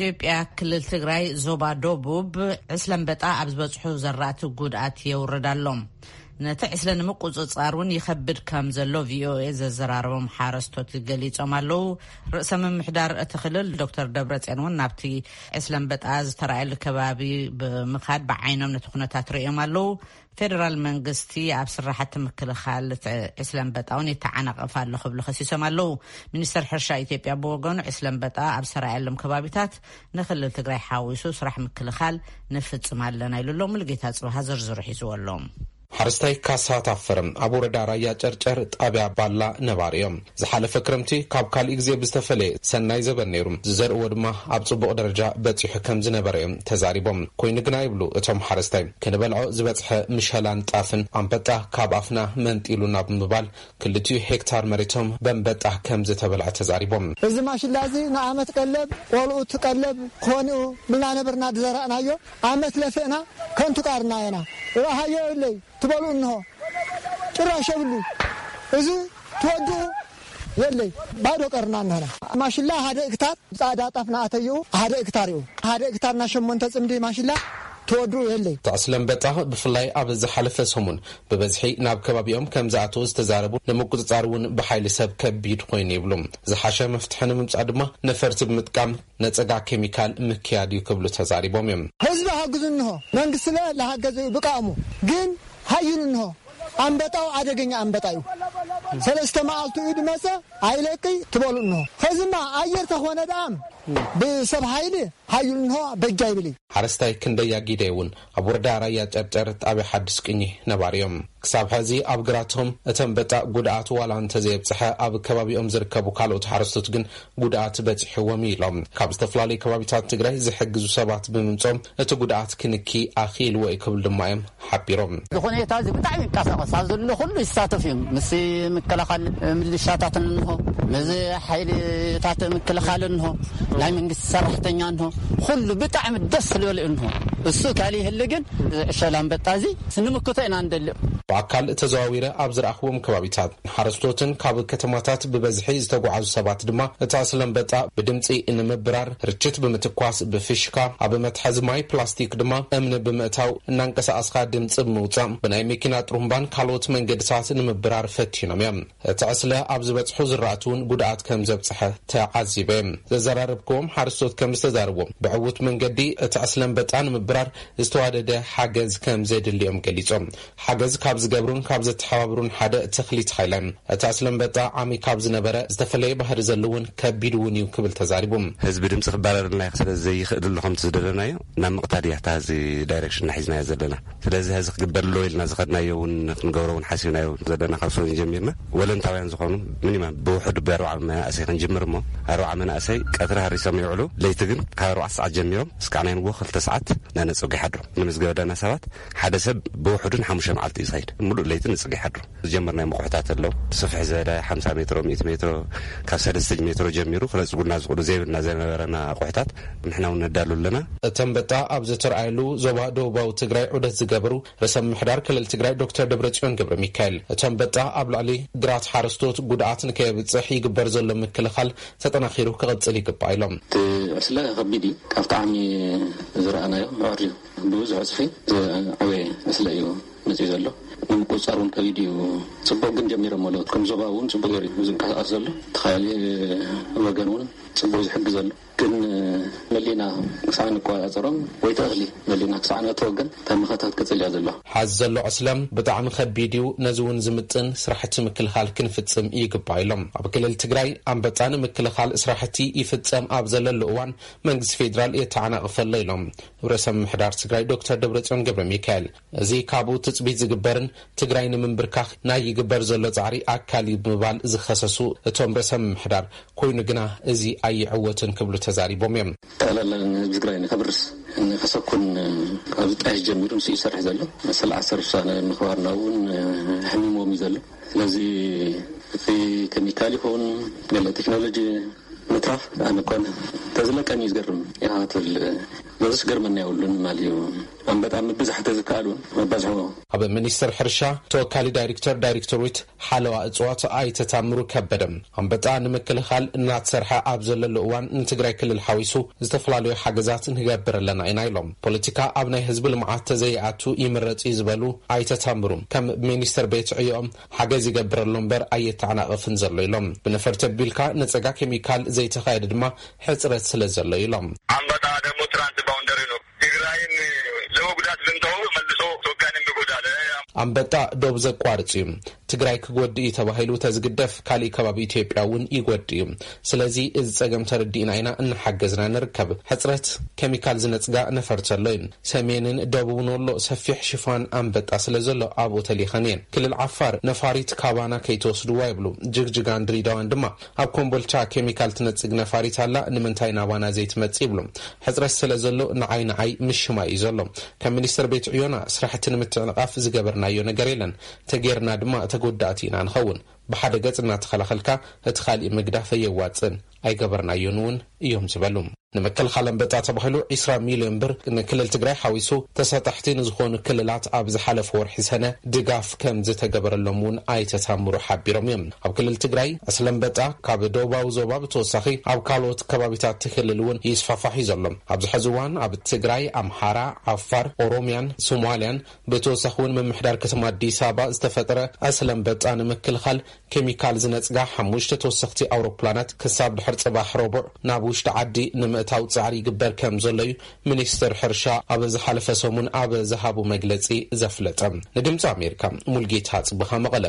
ኢትዮጵያ ክልል ትግራይ ዞባ ደቡብ ዕስለ ኣንበጣ ኣብ ዝበፅሑ ዘራእቲ ጉድኣት የውርድ ኣሎ። ነቲ ዕስለ ንምቁፅፃር እውን ይኸብድ ከም ዘሎ ቪኦኤ ዘዘራረቦም ሓረስቶት ገሊፆም ኣለዉ። ርእሰ ምምሕዳር እቲ ክልል ዶክተር ደብረፅዮን እውን ናብቲ ዕስለ ኣንበጣ ዝተራእየሉ ከባቢ ብምኻድ ብዓይኖም ነቲ ኩነታት ርእዮም ኣለዉ። ፌደራል መንግስቲ ኣብ ስራሕቲ ምክልኻል ዕስለ ኣንበጣ እውን ይተዓናቐፍ ኣሎ ክብሉ ከሲሶም ኣለዉ። ሚኒስተር ሕርሻ ኢትዮጵያ ብወገኑ ዕስለ ኣንበጣ ኣብ ዝተራእየሎም ከባቢታት ንክልል ትግራይ ሓዊሱ ስራሕ ምክልኻል ንፍፅም ኣለና ኢሉ ኣሎ። ሙሉጌታ ጽብሃ ዝርዝሩ ሒዝዎ ኣሎ። ሓረስታይ ካሳ ታፈረ ኣብ ወረዳ ራያ ጨርጨር ጣብያ ባላ ነባሪ እዮም። ዝሓለፈ ክረምቲ ካብ ካልእ ግዜ ብዝተፈለየ ሰናይ ዘበን ነይሩ። ዝዘርእዎ ድማ ኣብ ጽቡቕ ደረጃ በጺሑ ከም ዝነበረ እዮም ተዛሪቦም። ኮይኑ ግና ይብሉ እቶም ሓረስታይ፣ ክንበልዖ ዝበጽሐ ምሸላን ጣፍን ኣንበጣ ካብ ኣፍና መንጢሉና ብምባል ክልቲኡ ሄክታር መሬቶም በንበጣ ከም ዝተበልዐ ተዛሪቦም። እዚ ማሽላ እዚ ንዓመት ቀለብ፣ ቆልዑት ቀለብ ክኾን እዩ ብልና ነበርና ዝዘራእናዮ። ዓመት ለፍእና ከንቱ ቃርና ኢና። ረሃዮ የብለይ ትበሉ እንሆ። ጭራሽ የብሉ። እዚ ትወድኡ የለይ። ባዶ ቀርና እንሆና። ማሽላ ሓደ እክታር ጻዕዳ ጣፍ ንኣተይኡ ሓደ እክታር እዩ። ሓደ እክታር ና ሸሞንተ ጽምዲ ማሽላ ትወድኡ የለይ። ተዕስለ ኣንበጣ ብፍላይ ኣብ ዝሓለፈ ሰሙን ብበዝሒ ናብ ከባቢኦም ከም ዝኣተወ ዝተዛረቡ ንምቁጽጻር እውን ብሓይሊ ሰብ ከቢድ ኮይኑ ይብሉ። ዝሓሸ መፍትሒ ንምምጻእ ድማ ነፈርቲ ብምጥቃም ነጸጋ ኬሚካል ምክያድ እዩ ክብሉ ተዛሪቦም እዮም። ህዝቢ ሃግዙ እንሆ። መንግስቲ ለ ለሃገዘ እዩ ብቃእሙ። ግን ሃይሉ እንሆ። ኣንበጣው ኣደገኛ ኣንበጣ እዩ። ሰለስተ መዓልቲ እዩ ድመጸ ኣይለቅይ ትበሉ እንሆ። ከዝማ ኣየር ተኾነ ደኣም ብሰብ ሃይሊ ሃይሉ እንሆ በጃ ይብል እዩ። ሓረስታይ ክንደያ ጊደ እውን ኣብ ወረዳ ራያ ጨርጨር ጣብያ ሓድሽ ቅኚ ነባሪ እዮም። ክሳብ ሕዚ ኣብ ግራቶም እቲ ኣንበጣ ጉድኣት ዋላ እንተዘየብጽሐ፣ ኣብ ከባቢኦም ዝርከቡ ካልኦት ሓረስቶት ግን ጉድኣት በጺሕዎም እዩ ኢሎም። ካብ ዝተፈላለዩ ከባቢታት ትግራይ ዝሕግዙ ሰባት ብምምጾም እቲ ጉድኣት ክንኪ ኣኽኢልዎ እዩ ክብል ድማ እዮም ሓቢሮም። እዚ ኩነታ እዚ ብጣዕሚ ይንቀሳቐስ ኣብ ዘሎ ኩሉ ይሳተፍ እዩ። ምስ ምክልኻል ምልሻታት እንሆ፣ ምስ ሓይልታት ምክልኻል እንሆ፣ ናይ መንግስቲ ሰራሕተኛ እንሆ፣ ኩሉ ብጣዕሚ ደስ ዝበለ እንሆ። እሱ ካሊ ይህል ግን ዕሸል ኣንበጣ እዚ ስንምክቶ ኢና እንደልዮ። ብኣካል ተዘዋዊረ ኣብ ዝረኣኽዎም ከባቢታት ሓረስቶትን ካብ ከተማታት ብበዝሒ ዝተጓዓዙ ሰባት ድማ እቲ ዕስለ ኣንበጣ ብድምፂ ንምብራር ርችት ብምትኳስ ብፊሽካ ኣብ መትሓዚ ማይ ፕላስቲክ ድማ እምኒ ብምእታው እናንቀሳቐስካ ድምፂ ብምውፃእ ብናይ መኪና ጥሩምባን ካልኦት መንገድታት ንምብራር ፈቲኖም እዮም። እቲ ዕስለ ኣብ ዝበፅሑ ዝራእቲ እውን ጉድኣት ከም ዘብፅሐ ተዓዚበ። ዘዘራረብክዎም ሓረስቶት ከም ዝተዛረብዎም ብዕዉት መንገዲ እቲ ዕስለ ኣንበጣ ንምብራር ዝተዋደደ ሓገዝ ከም ዘድልዮም ገሊጾም። ሓገዝ ካብ ዝገብሩን ካብ ዘተሓባብሩን ሓደ ተኽሊት ሃይለ፣ እቲ ዕስለ ኣንበጣ ዓሚ ካብ ዝነበረ ዝተፈለየ ባህሪ ዘለዎን ከቢድ እውን እዩ ክብል ተዛሪቡ። ህዝቢ ድምፂ ክባረረልና እዩ ስለ ዘይኽእል ኣሎ ከምቲ ዝደለናዮ ናብ ምቕታል እያ እታ እዚ ዳይሬክሽን ሒዝናዮ ዘለና። ስለዚ ሕዚ ክግበር ኣለዎ ኢልና ዝኸድናዮ እውን ክንገብሮ እውን ሓሲብናዮ ዘለና ካብ ሰሙን ጀሚርና ወለንታውያን ዝኾኑ ሚኒማም ብውሕዱ ብኣርባዓ መናእሰይ ክንጅምር እሞ ኣርባዓ መናእሰይ ቀትሪ ሃሪሶም ይውዕሉ። ለይቲ ግን ካብ ኣርባዕተ ሰዓት ጀሚሮም እስካዕ ናይ ንግሆ ክልተ ሰዓት እናነፀጉ ይሓድሩ። ንምዝገበ ዳና ሰባት ሓደ ሰብ ብውሕዱ ንሓሙሽተ መዓልቲ እዩ ዝኸይድ። ሙሉእ ለይቲ ንፅግ ይሓድሩ። ዝጀመርናዮም ኣቑሑታት ኣለዉ። ስፍሕ ዝበለ ሓምሳ ሜትሮ፣ ሚእቲ ሜትሮ፣ ካብ ሰለስተ ሜትሮ ጀሚሩ ክነፅጉልና ዝኽእሉ ዘይብልና ዝነበረና ኣቑሑታት ንሕና እውን ነዳሉ ኣለና። እቲ ኣንበጣ ኣብ ዝተረኣየሉ ዞባ ደቡባዊ ትግራይ ዑደት ዝገበሩ ርእሰ ምምሕዳር ክልል ትግራይ ዶክተር ደብረጽዮን ገብረ ሚካኤል፣ እቲ ኣንበጣ ኣብ ልዕሊ ግራት ሓረስቶት ጉድኣት ንከየብጽሕ ይግበር ዘሎ ምክልኻል ተጠናኺሩ ክቕጽል ይግባእ ኢሎም። እቲ ዕስለ ከቢድ እዩ። ካብቲ ዓሚ ዝረኣናዮ ምዕር እዩ። ብብዙሕ ዕፅፊ ዝዓበየ ዕስለ እዩ መፅዩ ዘሎ። ንምቁፅፃር እውን ከቢድ እዩ። ፅቡቅ ግን ጀሚሮም ኣለዉ። ከም ዞባ እውን ፅቡቅ ገይሩ እዩ ዝንቀሳቀስ ዘሎ። ተኻያሊ ወገን እውን ፅቡቅ ዝሕግዝ ኣሎ። ግን መሊና ክሳዕ ንቆፃፀሮም ወይ ተእኽሊ መሊና ክሳዕ ነእትዎ ግን እታ መኸታ ክትቅፅል እያ ዘለዋ። ሓዚ ዘሎ ዕስለ ብጣዕሚ ከቢድ እዩ። ነዚ እውን ዝምጥን ስራሕቲ ምክልኻል ክንፍፅም ይግባእ ኢሎም። ኣብ ክልል ትግራይ ኣንበጣ ንምክልኻል ስራሕቲ ይፍፀም ኣብ ዘለሉ እዋን መንግስቲ ፌዴራል የተዓናቕፍ ኣሎ ኢሎም ርእሰ ምምሕዳር ትግራይ ዶክተር ደብረጽዮን ገብረ ሚካኤል። እዚ ካብኡ ትፅቢት ዝግበርን ትግራይ ንምንብርካኽ ናይ ይግበር ዘሎ ፃዕሪ ኣካል እዩ ብምባል ዝኸሰሱ እቶም ርእሰ ምምሕዳር፣ ኮይኑ ግና እዚ ኣይዕወትን ክብሉ ተዛሪቦም እዮም። ጠቕላላ ንህዝቢ ትግራይ ንከብርስ ንከሰኩን ካብ ዝጣየሽ ጀሚሩ ንሱ ይሰርሕ ዘሎ። መሰል ዓሰርተ ውሳነ ምኽባርና እውን ሕሚሞም እዩ ዘሎ። ስለዚ እቲ ኬሚካል ይኹን ገለ ቴክኖሎጂ ምትራፍ ኣነ ኮነ ተዝለቀን እዩ ዝገርም። ያትል በዝስ ገርመና የብሉን ማለት እዩ። ኣንበጣ ምብዛሕ ተዝከኣል እውን መባዝሖ። ኣብ ሚኒስትር ሕርሻ ተወካሊ ዳይሬክተር ዳይሬክቶሬት ሓለዋ እፅዋት ኣይተታምሩ ከበደ፣ ኣንበጣ ንምክልኻል እናተሰርሐ ኣብ ዘለሉ እዋን ንትግራይ ክልል ሓዊሱ ዝተፈላለዩ ሓገዛት ንገብር ኣለና ኢና ኢሎም። ፖለቲካ ኣብ ናይ ህዝቢ ልምዓት ተዘይኣቱ ይምረፅ እዩ ዝበሉ ኣይተታምሩ፣ ከም ሚኒስትር ቤት ዕዮኦም ሓገዝ ይገብር ኣሎ እምበር ኣየተዓናቐፍን ዘሎ ኢሎም። ብነፈርቲ ኣቢልካ ንፀጋ ኬሚካል ዘይተኻየደ ድማ ሕፅረት ስለ ዘሎ ኢሎም። ኣንበጣ ደግሞ ትራንስ ባውንደሪ ነው። ትግራይን ለመጉዳት ብንተው መልሶ ኢትዮጵያንም ይጎዳል። ኣንበጣ ዶብ ዘቋርፅ እዩ። ትግራይ ክጎድእ እዩ ተባሂሉ ተዝግደፍ ካሊእ ከባቢ ኢትዮጵያ እውን ይጎድእ እዩ። ስለዚ እዚ ፀገም ተረዲእና ኢና እናሓገዝና ንርከብ። ሕፅረት ኬሚካል ዝነፅጋ ነፈርቲ ኣሎ እዩ። ሰሜንን ደቡብን ወሎ ሰፊሕ ሽፋን ኣንበጣ ስለ ዘሎ ኣብኡ ተሊኸን እየን። ክልል ዓፋር ነፋሪት ካባና ከይትወስድዋ ይብሉ። ጅግጅጋን ድሬዳዋን ድማ ኣብ ኮምቦልቻ ኬሚካል ትነፅግ ነፋሪት ኣላ፣ ንምንታይ ናባና ዘይትመፅእ ይብሉ። ሕፅረት ስለ ዘሎ ንዓይ ንዓይ ምሽማይ እዩ ዘሎ። ከም ሚኒስትር ቤት ዕዮና ስራሕቲ ንምትዕንቓፍ ዝገበርናዮ ነገር የለን። ተጌርና ድማ ተጎዳእቲ ኢና ንኸውን። ብሓደ ገፅ እናተኸላኸልካ እቲ ካሊእ ምግዳፍ ኣየዋፅእን። ኣይገበርናዮን እውን እዮም ዝበሉ። ንምክልኻል ኣንበጣ ተባሂሉ ዒስራ ሚልዮን ብር ንክልል ትግራይ ሓዊሱ ተሳጣሕቲ ንዝኾኑ ክልላት ኣብ ዝሓለፈ ወርሒ ሰነ ድጋፍ ከም ዝተገበረሎም እውን ኣይተታምሩ ሓቢሮም እዮም። ኣብ ክልል ትግራይ ዕስለ ኣንበጣ ካብ ደቡባዊ ዞባ ብተወሳኺ ኣብ ካልኦት ከባቢታት እቲ ክልል እውን ይስፋፋሕ እዩ ዘሎ። ኣብዚ ሕዚ እዋን ኣብ ትግራይ፣ ኣምሓራ፣ ዓፋር፣ ኦሮሚያን ሶማልያን ብተወሳኺ እውን ምምሕዳር ከተማ ኣዲስ ኣበባ ዝተፈጠረ ዕስለ ኣንበጣ ንምክልኻል ኬሚካል ዝነፅጋ ሓሙሽተ ተወሰኽቲ ኣውሮፕላናት ክሳብ ድሕር ፅባሕ ረቡዕ ናብ ውሽጢ ዓዲ ንምእታው ፃዕሪ ይግበር ከም ዘሎ እዩ ሚኒስትር ሕርሻ ኣብ ዝሓለፈ ሰሙን ኣብ ዝሃቡ መግለፂ ዘፍለጠ። ንድምፂ ኣሜሪካ ሙልጌታ ፅብኻ መቐለ።